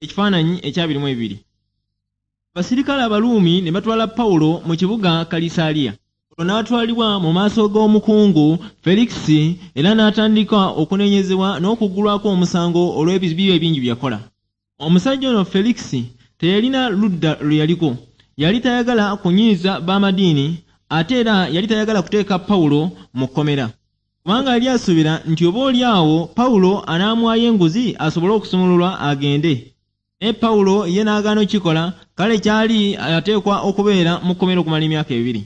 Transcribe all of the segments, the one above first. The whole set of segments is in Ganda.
Ekifaananyi ekyabiri mu ebiri. Abasirikale Abaruumi ne batwala Pawulo mu kibuga Kalisaaliya. Olwo n'atwalibwa mu maaso g'omukungu Felikisi era n'atandika okunenyezebwa n'okuggulwako omusango olw'ebibi ebingi bye yakola. Omusajja ono Felikisi teyalina ludda lwe yaliko. Yali tayagala kunyiiza b'amadiini ate era yali tayagala kuteeka Pawulo mu kkomera. Kubanga yali asuubira nti oboolyawo Pawulo anaamuwaayo enguzi asobole okusumululwa agende. Naye Pawulo ye n'agaana okukikola, kale kyali ateekwa okubeera mu kkomera okumala emyaka 2.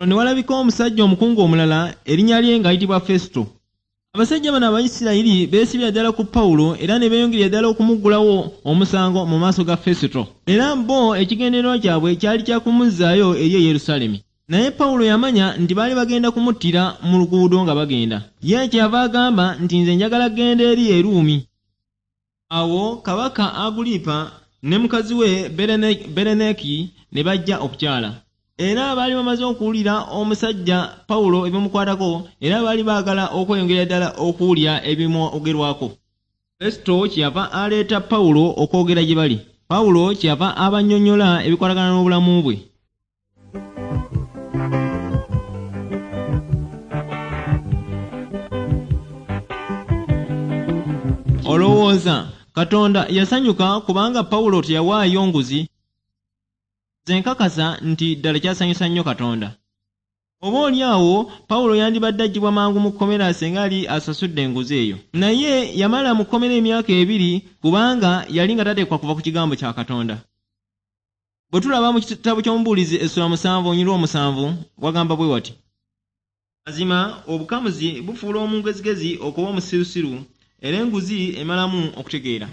Olwo ne walabika omusajja omukungu omulala erinnya lye ng'ayitibwa Festo. Abasajja bano Abayisirayiri beesibira ddala ku Pawulo era ne beeyongerera ddala okumuggulawo omusango mu maaso ga Festo. Era bo ekigendererwa kyabwe kyali kya kumuzzaayo eri e Yerusaalemi. Naye Pawulo yamanya nti baali bagenda kumuttira mu luguudo nga bagenda. Ye kyeyava agamba nti, Nze njagala kugenda eri e Ruumi. Awo kabaka Agulipa ne mukazi we Bereneki ne bajja okukyala. Era baali bamaze okuwulira omusajja Pawulo ebimukwatako era baali baagala okweyongerera ddala okuwulira ebimwogerwako. Festo kyeyava aleeta Pawulo okwogera gye bali. Pawulo kyeyava abannyonnyola ebikwatagana n'obulamu bwe. Olowooza Katonda yasanyuka kubanga Pawulo teyawaayo nguzi? Nze nkakasa nti ddala kyasanyusa nnyo Katonda. Oboolyawo Pawulo yandibadde aggyibwa mangu mu kkomera singa yali asasudde enguzi eyo. Naye yamala mu kkomera emyaka 2 kubanga yali nga tateekwa kuva ku kigambo kya Katonda. Bwe tulaba mu kitabo ky'Omubuulizi essula 7 olunyiriri 7 wagamba bwe wati. Mazima obukamuzi bufuula omugezigezi okuba omusirusiru, era enguzi emalamu okutegeera.